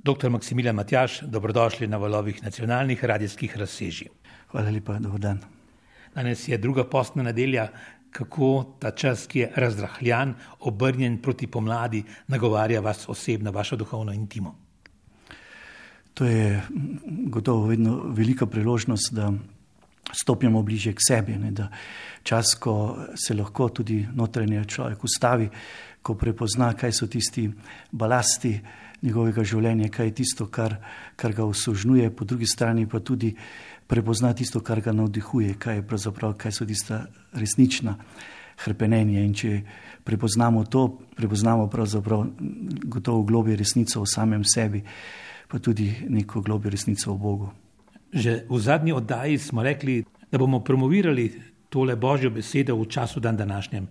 Dr. Maksimilijan Matjaž, dobrodošli na valovih nacionalnih radijskih razsežij. Hvala lepa, dober dan. Danes je druga postna nedelja, kako ta čas, ki je razrahljan, obrnjen proti pomladi, nagovarja vas osebno, vašo duhovno intimo. To je gotovo vedno velika priložnost, da stopimo bliže k sebi, da čas, ko se lahko tudi notranje človek ustavi, ko prepozna, kaj so tisti balasti njegovega življenja, kaj je tisto, kar ga osužnjuje, po drugi strani pa tudi prepozna tisto, kar ga navdihuje, kaj so tista resnična hrepenenja. In če prepoznamo to, prepoznamo pravzaprav gotovo globje resnico o samem sebi, pa tudi neko globjo resnico o Bogu. Že v zadnji oddaji smo rekli, da bomo promovirali tole Božjo besedo v času današnjem.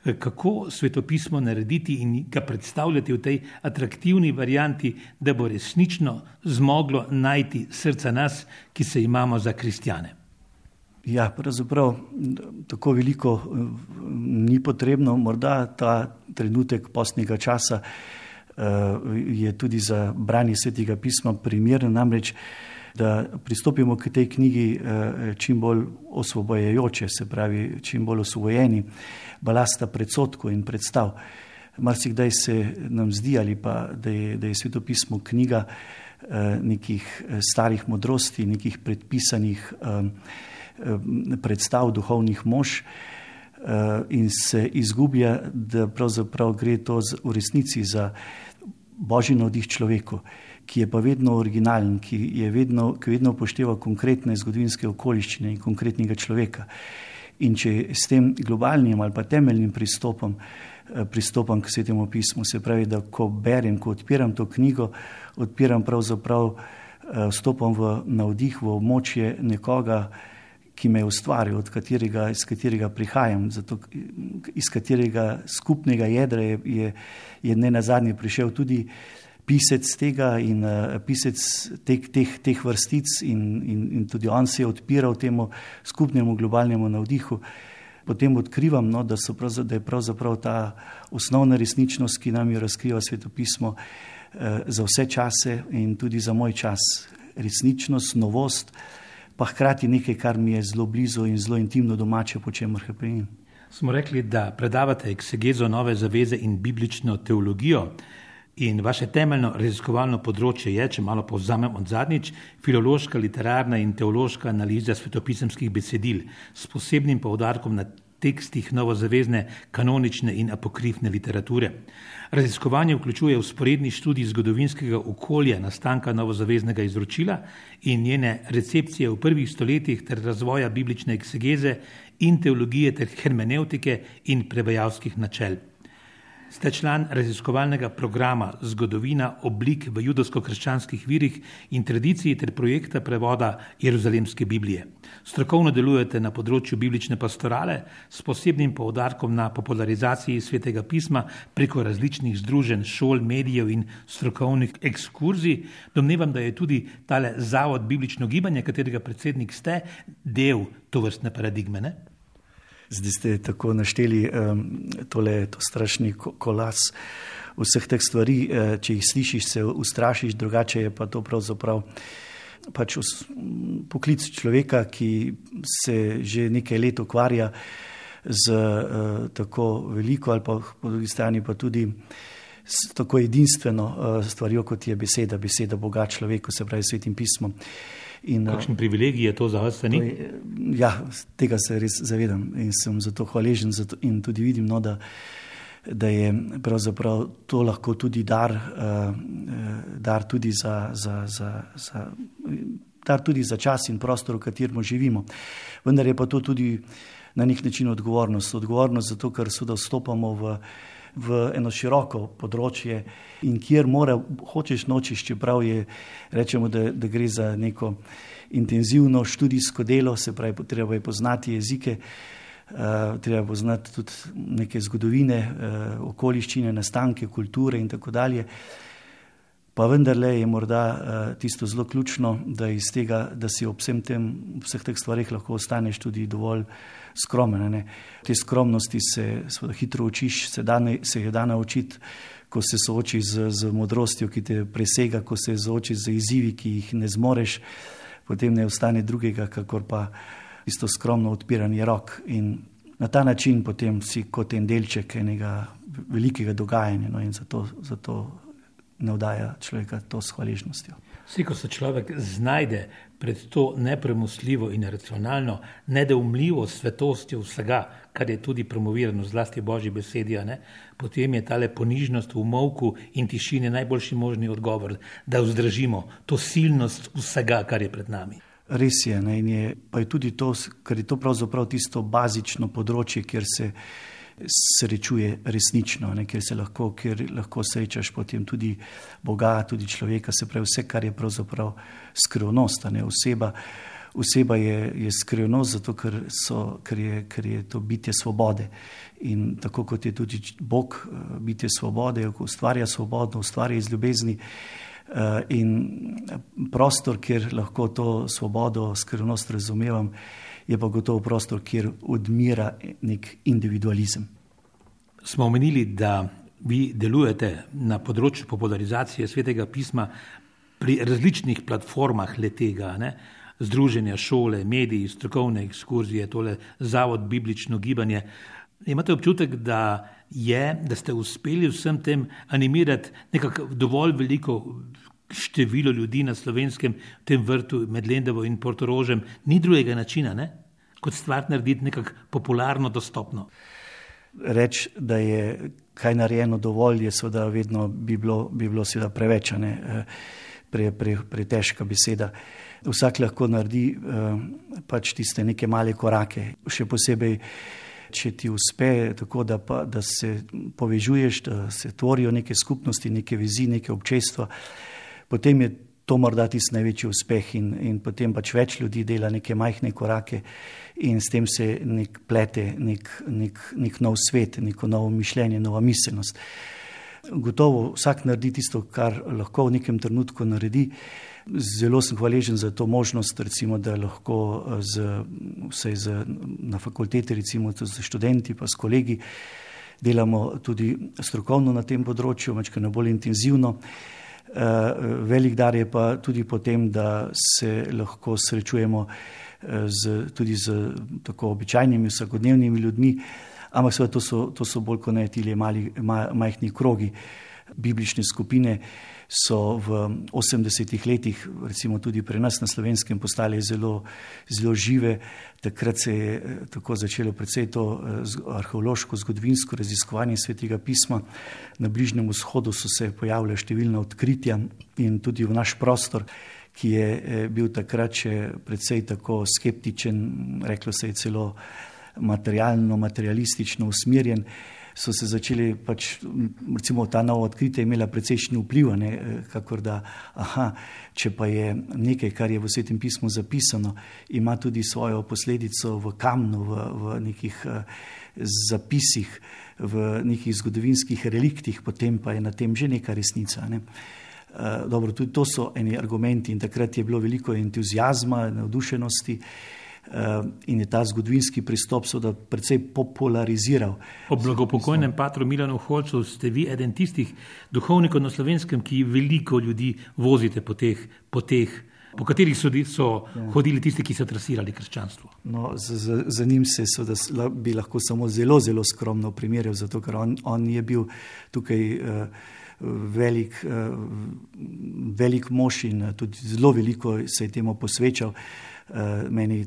Kako svetopismo narediti in ga predstavljati v tej atraktivni varianti, da bo resnično zmoglo najti srca nas, ki se imamo za kristjane? Ja, pravzaprav tako veliko ni potrebno. Morda ta trenutek postnega časa je tudi za branje Svetega pisma primeren, namreč da pristopimo k tej knjigi čim bolj osvobojajoče, se pravi čim bolj osvobojeni balasta predsodkov in predstav. Marsikdaj se nam zdi, ali pa da je svetopismo knjiga nekih starih modrosti, nekih predpisanih predstav duhovnih mož in se izgublja, da pravzaprav gre to v resnici za Božji navdih človeku, ki je pa vedno originalen, ki vedno upošteva konkretne zgodovinske okoliščine in konkretnega človeka. In če s tem globalnim ali pa temeljnim pristopam k Svetemu pismu, se pravi, da ko berem, ko odpiram to knjigo, odpiram pravzaprav, vstopam v navdih, v območje nekoga, ki me je ustvaril, iz katerega prihajam, zato iz katerega skupnega jedra je nenazadnje prišel tudi pisec tega in pisec teh vrstic in tudi on se je odpiral temu skupnemu globalnemu navdihu. Potem odkrivam, da je pravzaprav ta osnovna resničnost, ki nam jo razkriva svetopismo za vse čase in tudi za moj čas. Resničnost, novost, pa hkrati nekaj, kar mi je zelo blizu in zelo intimno domače, po čemer hrepenim. Smo rekli, da predavate eksegezo Nove zaveze in biblično teologijo. In vaše temeljno raziskovalno področje je, če malo povzamem od zadnjič, filološka, literarna in teološka analiza svetopisemskih besedil s posebnim poudarkom na tekstih novozavezne, kanonične in apokrifne literature. Raziskovanje vključuje vzporedni študij zgodovinskega okolja nastanka novozaveznega izročila in njene recepcije v prvih stoletjih ter razvoja biblične eksegeze in teologije ter hermenevtike in prevajalskih načel. Ste član raziskovalnega programa Zgodovina oblik v judovsko-krščanskih virih in tradiciji ter projekta prevoda Jeruzalemske Biblije. Strokovno delujete na področju biblične pastorale s posebnim poudarkom na popularizaciji Svetega pisma preko različnih združenj, šol, medijev in strokovnih ekskurzij. Domnevam, da je tudi tale zavod Biblično gibanje, katerega predsednik ste, del tovrstne paradigme, ne? Zdaj ste tako našteli to strašni kolas vseh teh stvari, če jih slišiš, se ustrašiš, drugače je pa to pravzaprav pač poklic človeka, ki se že nekaj let ukvarja z tako veliko ali pa po drugi strani pa tudi s tako edinstveno stvarjo, kot je beseda Boga človeku, se pravi Svetim pismom. Kakšen privilegij je to za vas, ni? Ja, tega se res zavedam in sem zato hvaležen in tudi vidim, da je pravzaprav to lahko tudi dar tudi za čas in prostor, v katerem živimo. Vendar je pa to tudi na nek način odgovornost zato, ker vstopamo v eno široko področje in kjer hočeš nočeš, čeprav rečemo, da gre za neko intenzivno študijsko delo, se pravi, treba je poznati jezike, treba je poznati tudi neke zgodovine, okoliščine, nastanke, kulture in tako dalje. Pa vendarle je morda tisto zelo ključno, da iz tega, da si ob vseh teh stvarih lahko ostaneš tudi dovolj skromen. Ne? Te skromnosti se hitro učiš, se je da naučiti, ko se soočiš z modrostjo, ki te presega, ko se soočiš z izzivi, ki jih ne zmoreš, potem ne ostane drugega, kakor pa isto skromno odpiranje rok. In na ta način potem si kot en delček enega velikega dogajanja, no, in zato navdaja človeka to s hvaležnostjo. Vsi, ko se človek znajde pred to nepremostljivo in racionalno, nedoumljivo svetostjo vsega, kar je tudi promovirano zlasti Božji besedi, potem je tale ponižnost v molku in tišini najboljši možni odgovor, da vzdržimo to silnost vsega, kar je pred nami. Res je, ne, in pa je tudi to, ker je to pravzaprav tisto bazično področje, kjer se srečuje resnično, ne, kjer lahko srečaš potem tudi Boga, tudi človeka, se pravi vse, kar je pravzaprav skrivnost. Ne, oseba je skrivnost, zato ker je to bitje svobode. In tako kot je tudi Bog bitje svobode, ustvarja svobodno, ustvarja iz ljubezni, in prostor, kjer lahko to svobodo, skrivnost razumevam, je pa gotovo prostor, kjer odmira nek individualizem. Smo omenili, da vi delujete na področju popularizacije Svetega pisma pri različnih platformah letega, združenja, šole, mediji, strokovne ekskurzije, tole Zavod Biblično gibanje. Imate občutek, da ste uspeli vsem tem animirati nekako dovolj veliko število ljudi na Slovenskem, v tem vrtu med Lendavo in Portorožem? Ni drugega načina, kot stvar narediti nekako popularno, dostopno. Reči, da je kaj narejeno dovolj, je seveda vedno bi bilo seveda preveč, pretežka beseda. Vsak lahko naredi pač tiste neke male korake, še posebej, če ti uspe tako, da se povežuješ, da se tvorijo neke skupnosti, neke vezi, neke občestva, potem je to morda tisti največji uspeh in potem pač več ljudi dela neke majhne korake in s tem se plete nek nov svet, neko novo mišljenje, nova miselnost. Gotovo vsak naredi tisto, kar lahko v nekem trenutku naredi. Zelo sem hvaležen za to možnost, recimo, da lahko na fakulteti, recimo z študenti pa s kolegi, delamo tudi strokovno na tem področju, malo bolj intenzivno. Velik dar je pa tudi potem, da se lahko srečujemo tudi z tako običajnimi, vsakodnevnimi ljudmi, ampak seveda to so bolj kot ne tile majhni krogi. Biblične skupine so v 80-ih letih, recimo tudi pri nas na Slovenskem, postale zelo, zelo žive. Takrat se je tako začelo predvsej to arheološko, zgodovinsko raziskovanje Svetega pisma. Na Bližnjem vzhodu so se pojavile številna odkritja in tudi v naš prostor, ki je bil takrat še predvsej tako skeptičen, reklo se je celo materialistično usmerjen, so se začeli recimo ta nova odkritja imela precejšnji vpliv, kakor da, če pa je nekaj, kar je v Svetem pismu zapisano, ima tudi svojo posledico v kamnu, v nekih zapisih, v nekih zgodovinskih reliktih, potem pa je na tem že neka resnica. Dobro, tudi to so eni argumenti in takrat je bilo veliko entuziazma, navdušenosti, in je ta zgodovinski pristop seveda precej populariziral. Po blagopokojnem patru Milanu Holcu ste vi eden tistih duhovnikov na Slovenskem, ki veliko ljudi vozite po po katerih so hodili tisti, ki so trasirali krščanstvo. No, za njim se seveda bi lahko samo zelo, zelo skromno primerjal, zato ker on je bil tukaj velik mož in tudi zelo veliko se je temu posvečal. Meni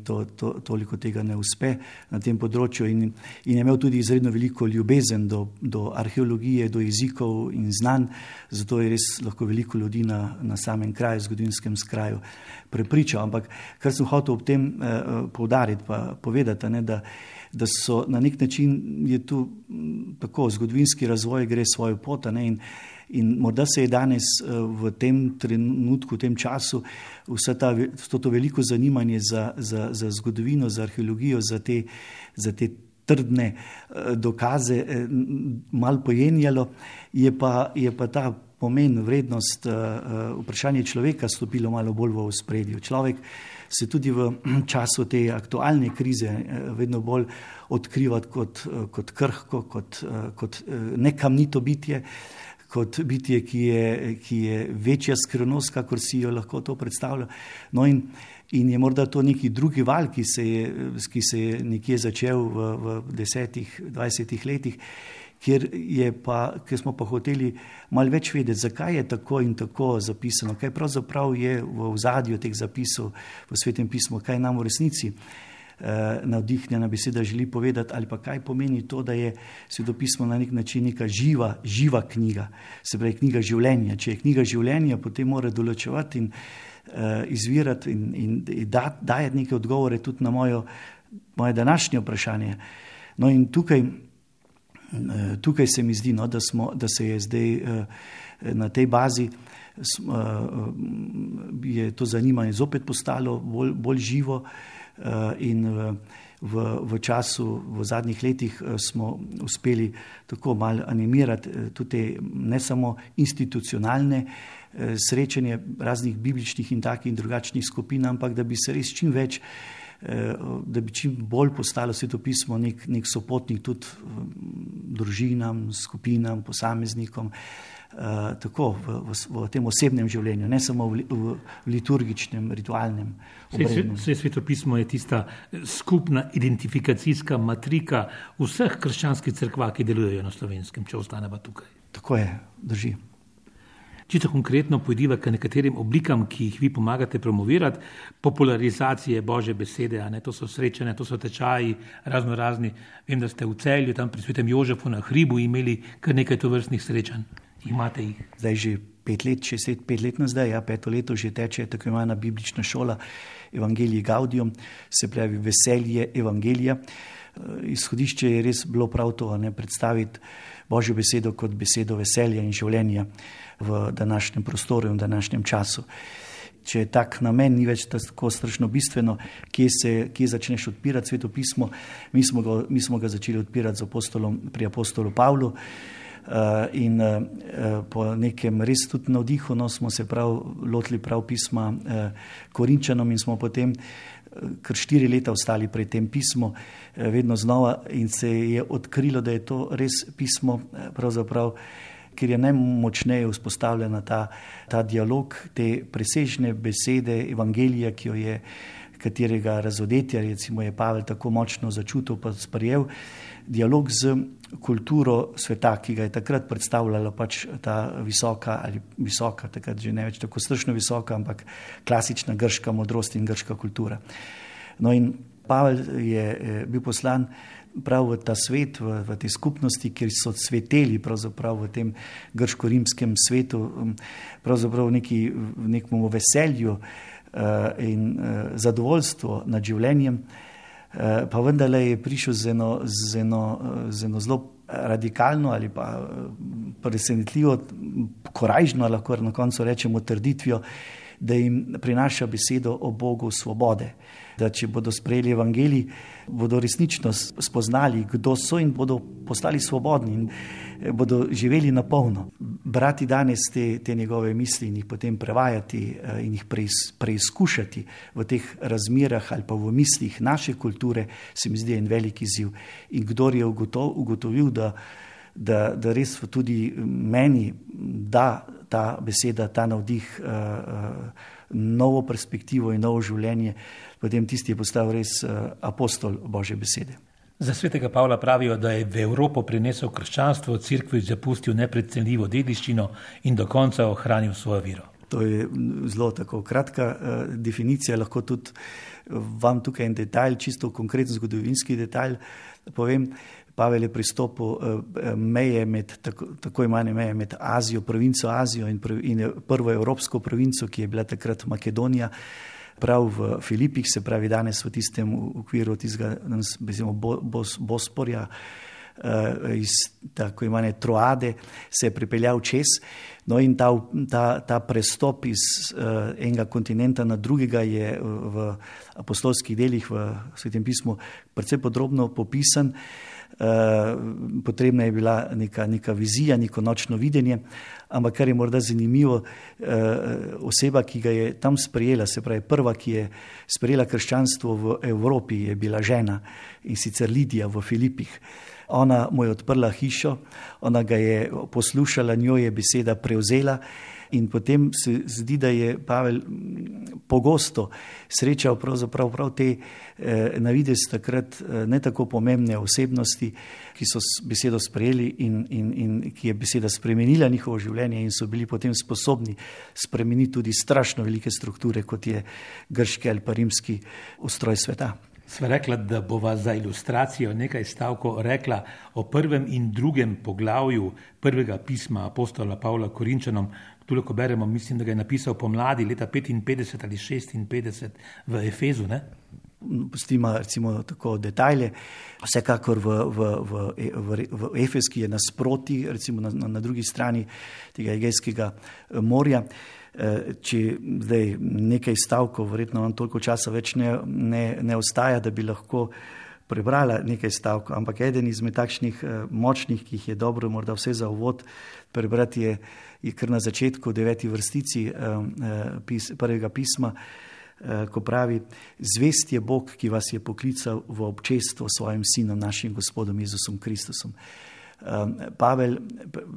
toliko tega ne uspe na tem področju in je imel tudi izredno veliko ljubezen do arheologije, do jezikov in znanj, zato je res lahko veliko ljudi na samem kraju, zgodovinskem kraju prepričal. Ampak kar sem hotel ob tem poudariti pa povedati, da so na nek način je tu tako zgodovinski razvoj gre svojo pot, in morda se je danes v tem trenutku, v tem času to veliko zanimanje za zgodovino, za arheologijo, za te trdne dokaze malo pojenjalo, je pa ta pomen, vrednost, vprašanje človeka stopilo malo bolj v ospredje. Človek se tudi v času te aktualne krize vedno bolj odkriva kot krhko, kot nekamnito bitje, kot bitje, ki je večja skrivnost, kakor si jo lahko to predstavlja. No in je morda to neki drugi val, ki se je nekje začel v 10-20 letih, kjer smo pa hoteli malo več vedeti, zakaj je tako in tako zapisano, kaj pravzaprav je v ozadju teh zapisov v Svetem pismu, kaj nam v resnici navdihnjena beseda želi povedati, ali pa kaj pomeni to, da je Svetopismo na nek način neka živa knjiga, se pravi knjiga življenja. Če je knjiga življenja, potem mora določevati in izvirati in dajati neke odgovore tudi na moje današnje vprašanje. No in tukaj se mi zdi, da se je zdaj na tej bazi je to zanimanje zopet postalo bolj živo. In v zadnjih letih smo uspeli tako malo animirati tudi ne samo institucionalne srečanje raznih bibličnih in takih in drugačnih skupin, ampak da bi se res čim več, da bi čim bolj postalo Svetopismo nek sopotnik tudi družinam, skupinam, posameznikom, tako v tem osebnem življenju, ne samo v liturgičnem, ritualnem obredu. Svetopismo je tista skupna identifikacijska matrika vseh krščanskih cerkva, ki delujejo na Slovenskem, če ostaneva tukaj. Tako je, drži. Čisto konkretno pojdiva k nekaterim oblikam, ki jih vi pomagate promovirati, popularizacije Božje besede, a ne, to so srečanja, to so tečaji, razni. Vem, da ste v Celju, tam pri Svetem Jožefu na hribu imeli kar nekaj tovrstnih srečanj. Imate jih? Zdaj že 5 let nazaj, 5. leto že teče tako imena biblična šola Evangelii Gaudium, se pravi veselje evangelija. Izhodišče je res bilo prav to, ne, predstaviti Božjo besedo kot besedo veselja in življenja v današnjem prostoru in v današnjem času. Če je tak namen, ni več tako strašno bistveno, kje začneš odpirati Svetopismo. Mi smo ga začeli odpirati pri apostolu Pavlu in po nekem res tudi navdihu smo se lotili prav pisma Korinčanom in smo potem kar 4 leta ostali pri tem pismu, vedno znova, in se je odkrilo, da je to res pismo, pravzaprav, ker je najmočneje vzpostavljena ta dialog, te presežne besede evangelija, katerega razodetja, recimo, je Pavel tako močno začutil pa sprejel, dialog z kulturo sveta, ki ga je takrat predstavljala pač ta visoka, takrat že ne več tako strašno visoka, ampak klasična grška modrost in grška kultura. No in Pavel je bil poslan prav v ta svet, v te skupnosti, kjer so cveteli pravzaprav v tem grško-rimskem svetu, pravzaprav v nekom veselju in zadovoljstvo nad življenjem, pa vendarle je prišel z eno zelo radikalno ali pa presenetljivo, korajžno, lahko na koncu rečemo, trditvijo, da jim prinaša besedo o Bogu svobode. Da če bodo sprejeli evangelij, bodo resnično spoznali, kdo so in bodo postali svobodni in bodo živeli na polno. Brati danes te njegove misli in jih potem prevajati in jih preizkušati v teh razmerah ali pa v mislih naše kulture, se mi zdi en velik izziv. In kdor je ugotovil, da res tudi meni da ta beseda, ta navdih, novo perspektivo in novo življenje, potem tisti je postal res apostol Božje besede. Za svetega Pavla pravijo, da je v Evropo prinesel krščanstvo, cerkvi zapustil neprecenljivo dediščino in do konca ohranil svojo vero. To je zelo tako kratka definicija, lahko tudi vam tukaj en detalj, čisto konkreten zgodovinski detalj povem. Pavel je pristopil meje tako imane meje med Azijo, provinco Azijo in prvo evropsko provinco, ki je bila takrat Makedonija, prav v Filipih, se pravi danes v tistem okviru tistega Bosporja, iz tako imane Troade, se je pripeljal čez. No in ta prestop iz enega kontinenta na drugega je v apostolskih delih v Svetem pismu precej podrobno popisan. potrebna je bila neka vizija, neko nočno videnje, ampak kar je morda zanimivo, oseba, ki ga je tam sprejela, se pravi prva, ki je sprejela krščanstvo v Evropi, je bila žena, in sicer Lidija v Filipih. Ona mu je odprla hišo, ona ga je poslušala, njo je beseda prevzela in potem se zdi, da je Pavel pogosto srečal prav te navidez takrat ne tako pomembne osebnosti, ki so besedo sprejeli in ki je beseda spremenila njihovo življenje in so bili potem sposobni spremeniti tudi strašno velike strukture, kot je grški ali pa rimski ustroj sveta. Sva rekla, da bova za ilustracijo nekaj stavkov rekla o 1. in 2. poglavju prvega pisma apostola Pavla Korinčanom. Tule, ko beremo, mislim, da ga je napisal pomladi leta 55 ali 56 v Efezu, ne? Pustimo recimo tako detajle. Vsekakor v Efeski je nasproti, recimo na drugi strani tega Egejskega morja. Če zdaj nekaj stavkov, verjetno vam toliko časa več ne ostaja, da bi lahko prebrala nekaj stavkov, ampak eden izmed takšnih močnih, ki jih je dobro morda vse za uvod prebrati, je kar na začetku 9. vrstici prvega pisma, ko pravi: zvest je Bog, ki vas je poklical v občestvo svojim sinom, našim Gospodom Jezusom Kristusom. Pavel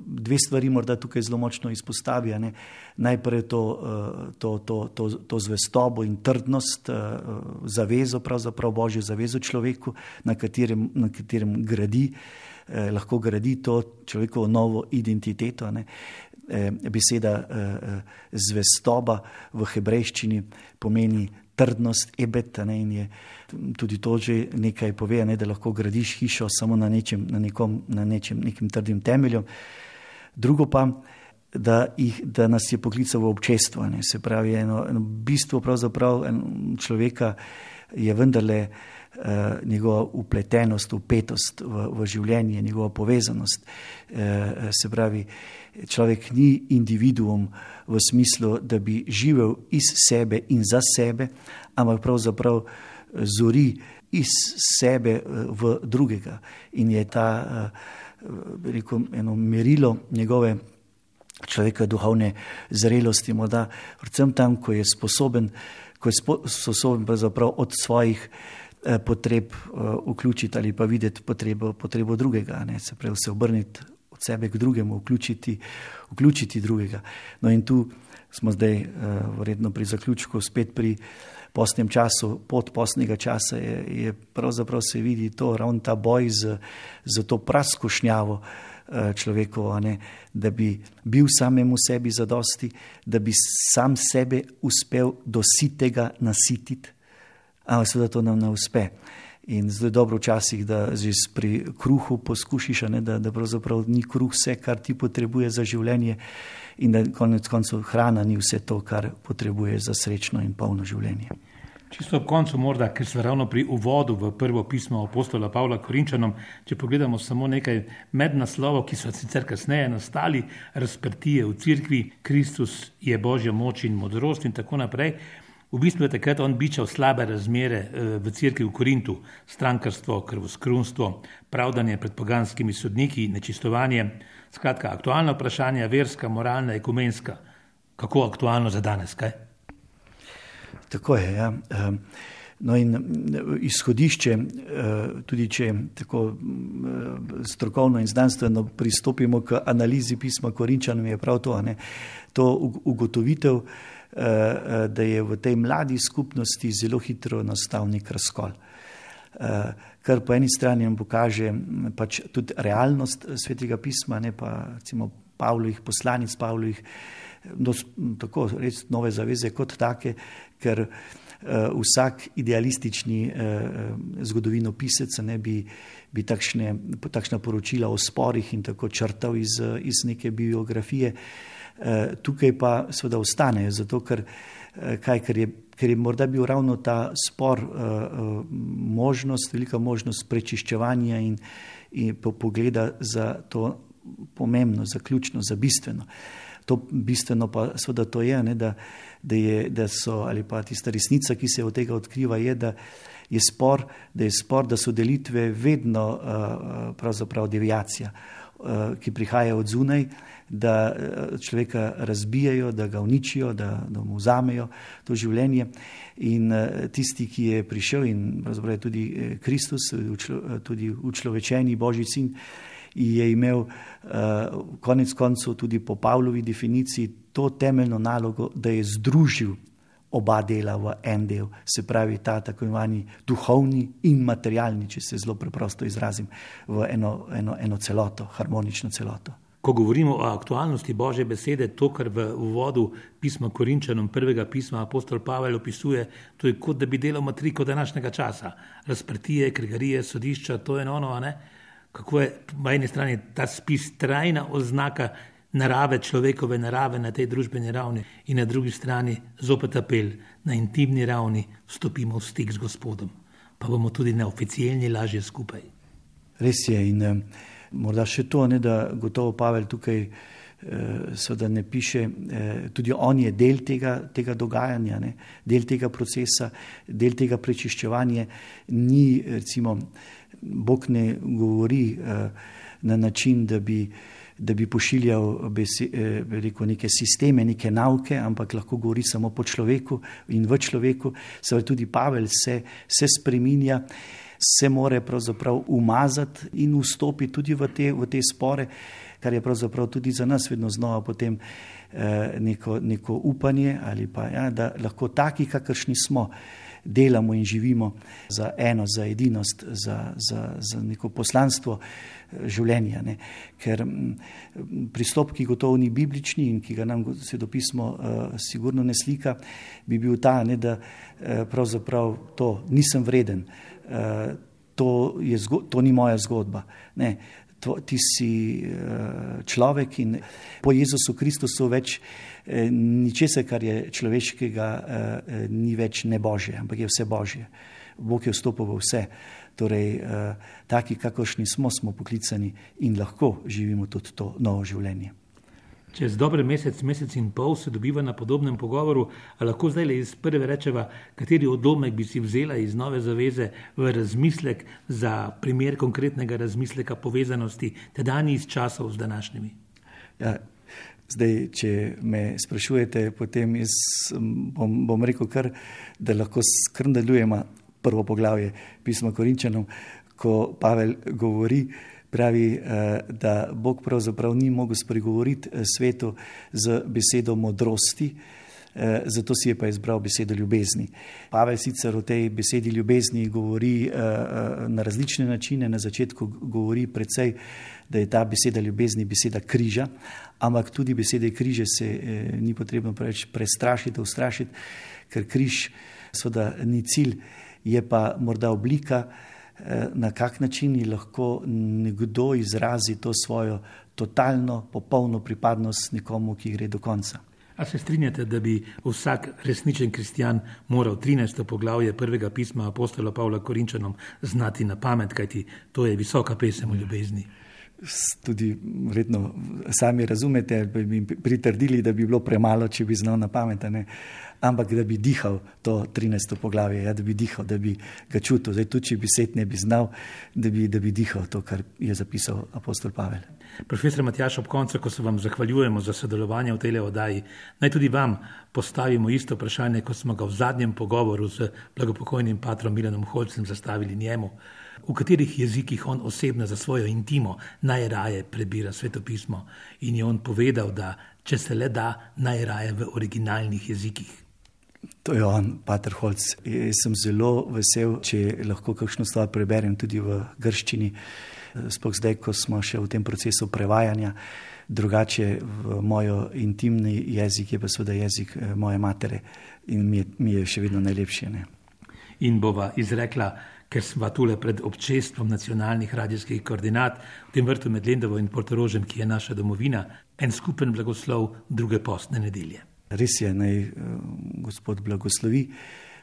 dve stvari morda tukaj zelo močno izpostavi. Najprej to zvestobo in trdnost, zavezo, pravzaprav Božjo zavezo človeku, na katerem gradi, lahko gradi to človekovo novo identiteto. Beseda zvestoba v hebrejščini pomeni trdnost, ebet, in je tudi to že nekaj pove, da lahko gradiš hišo samo na nekim trdim temeljem. Drugo pa, da nas je poklical v občestvo, se pravi eno bistvo pravzaprav človeka je vendarle njegova upletenost, upetost v življenje, njegova povezanost. Se pravi, človek ni individuum v smislu, da bi živel iz sebe in za sebe, ampak pravzaprav zori iz sebe v drugega. In je ta, eno merilo njegove človeka duhovne zrelosti, morda predvsem tam, ko je sposoben pravzaprav od svojih potreb vključiti ali pa videti potrebo drugega, se pravi se obrniti od sebe k drugemu, vključiti drugega. No in tu smo zdaj verjetno pri zaključku, spet pri postnem času, pod postnega časa je pravzaprav se vidi to, ravno ta boj z to praskošnjavo človekovo, da bi bil samemu sebi zadosti, da bi sam sebe uspel do sitega nasititi, ampak seveda to nam ne uspe. In zelo dobro včasih, da že pri kruhu poskušiš, da pravzaprav ni kruh vse, kar ti potrebuje za življenje in da konec koncev hrana ni vse to, kar potrebuje za srečno in polno življenje. Čisto ob koncu morda, ker smo ravno pri uvodu v prvo pismo apostola Pavla Korinčanom, če pogledamo samo nekaj mednaslovov, ki so sicer kasneje nastali, razprtije v cerkvi, Kristus je Božja moč in modrost in tako naprej. V bistvu je takrat on bičal slabe razmere v cerkvi v Korintu, strankarstvo, krvoskrunstvo, pravdanje pred poganskimi sodniki, nečistovanje, skratka aktualna vprašanja, verska, moralna, ekumenska. Kako aktualno za danes, kaj? Tako je, ja. No in izhodišče, tudi če tako strokovno in znanstveno pristopimo k analizi pisma Korinčanom, je prav to, to ugotovitev, da je v tej mladi skupnosti zelo hitro nastal nek razkol. Kar po eni strani nam pokaže pač tudi realnost Svetega pisma, pa recimo Pavlovih poslanic, Pavlovih tako res nove zaveze kot take, ker vsak idealistični zgodovinopisec bi takšna poročila o sporih in tako črtal iz neke biografije. Tukaj pa seveda ostanejo, zato ker je morda bil ravno ta spor velika možnost prečiščevanja in pogleda za to pomembno, za ključno, za bistveno. To bistveno pa seveda to je, ne, da so, ali pa tista resnica, ki se od tega odkriva, je, da je spor, da so delitve vedno pravzaprav deviacija, ki prihaja od zunaj, da človeka razbijajo, da ga uničijo, da mu vzamejo to življenje. In tisti, ki je prišel, in pravzaprav je tudi Kristus, tudi učlovečeni Božji sin, je imel konec koncev tudi po Pavlovi definiciji to temeljno nalogo, da je združil oba dela v en del, se pravi ta tako imenovani duhovni in materialni, če se zelo preprosto izrazim, v eno celoto, harmonično celoto. Ko govorimo o aktualnosti Božje besede, to, kar v uvodu pisma Korinčanom, prvega pisma apostol Pavel opisuje, to je kot da bi delal matriko današnjega časa. Razprtije, kregarije, sodišča, to je ono, ne? Kako je po eni strani ta spis trajna oznaka narave, človekove narave na tej družbeni ravni in na drugi strani zopet apel na intimni ravni vstopimo v stik z Gospodom, pa bomo tudi neoficialni lažje skupaj. Res je in morda še to, ne, da gotovo Pavel tukaj seveda ne piše, tudi on je del tega dogajanja, ne, del tega procesa, del tega prečiščevanja. Ni, recimo, Bog ne govori na način, da bi pošiljal neke sisteme, neke nauke, ampak lahko govori samo po človeku in v človeku. Seveda tudi Pavel se spreminja, se more pravzaprav umazati in vstopiti tudi v te spore, kar je pravzaprav tudi za nas vedno znova potem neko upanje, ali pa da lahko taki, kakršni smo, delamo in živimo za eno, za edinost, za neko poslanstvo življenja. Ne. Ker pristop, ki gotovo ni biblični in ki ga nam Svetopismo sigurno ne slika, bi bil ta, ne, da pravzaprav to nisem vreden, to ni moja zgodba. Ne. Ti si človek in po Jezusu Kristusu več ničesar, kar je človeškega, ni več nebožje, ampak je vse božje. Bog je vstopil v vse. Torej, taki, kakršni smo poklicani in lahko živimo tudi to novo življenje. Čez dober mesec in pol se dobiva na podobnem pogovoru, a lahko zdaj le iz prve rečeva, kateri odlomek bi si vzela iz Nove zaveze v razmislek za primer konkretnega razmisleka povezanosti tedajnih časov z današnjimi? Ja, zdaj, če me sprašujete, potem jaz bom rekel kar, da lahko kar nadaljujemo prvo poglavje pisma Korinčanom, ko Pavel govori, pravi, da Bog pravzaprav ni mogel spregovoriti svetu z besedo modrosti, zato si je pa izbral besedo ljubezni. Pavel sicer o tej besedi ljubezni govori na različne načine, na začetku govori precej, da je ta beseda ljubezni beseda križa, ampak tudi besede križe se ni potrebno preveč prestrašiti, ustrašiti, ker križ seveda ni cilj, je pa morda oblika, na kak način lahko nekdo izrazi to svojo totalno, popolno pripadnost nekomu, ki gre do konca. A se strinjate, da bi vsak resničen kristjan moral 13. poglavje prvega pisma apostola Pavla Korinčanom znati na pamet, kajti to je visoka pesem o ljubezni? Tudi vredno sami razumete, bi mi pritrdili, da bi bilo premalo, če bi znal na pamet, ne? Ampak da bi dihal to 13. poglavje, da bi dihal, da bi ga čutil. Zdaj tudi, če besed ne bi znal, da bi dihal to, kar je zapisal apostol Pavel. Profesor Matjaž, ob koncu, ko se vam zahvaljujemo za sodelovanje v tej oddaji, naj tudi vam postavimo isto vprašanje, kot smo ga v zadnjem pogovoru z blagopokojnim patrom Milanom Holcem zastavili njemu. V katerih jezikih on osebno za svojo intimo najraje prebira svetopismo in je on povedal, da če se le da, najraje v originalnih jezikih. To je on, pater Holc. Jaz sem zelo vesel, če lahko kakšno stvar preberem tudi v grščini, sploh zdaj, ko smo še v tem procesu prevajanja. Drugače v mojo intimni jezik je pa seveda jezik moje matere in mi je še vedno najlepše. Ne? In bova izrekla, ker sva tule pred občestvom nacionalnih radijskih koordinat v tem vrtu med Lendovo in Portorožem, ki je naša domovina, en skupen blagoslov druge postne nedelje. Res je, naj Gospod blagoslovi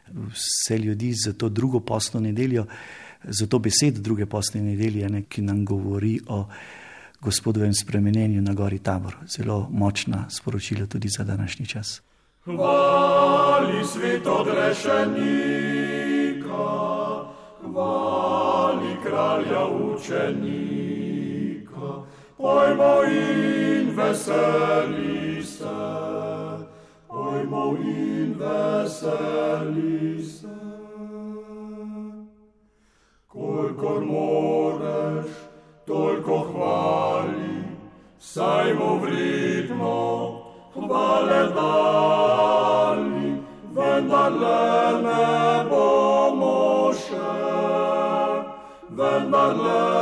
vse ljudi za to drugo postno nedeljo, za to besedo druge postne nedelje, ki nam govori o Gospodovem spremenjenju na gori Tabor. Zelo močna sporočila tudi za današnji čas. Hvali svet odrešenika, hvali kralja učenika, pojmo in veseli se, pojmo in veseli se. Kolikor moreš, toliko hvali, saj mu vredno hvale dali, vendarle ne bomo še, vendarle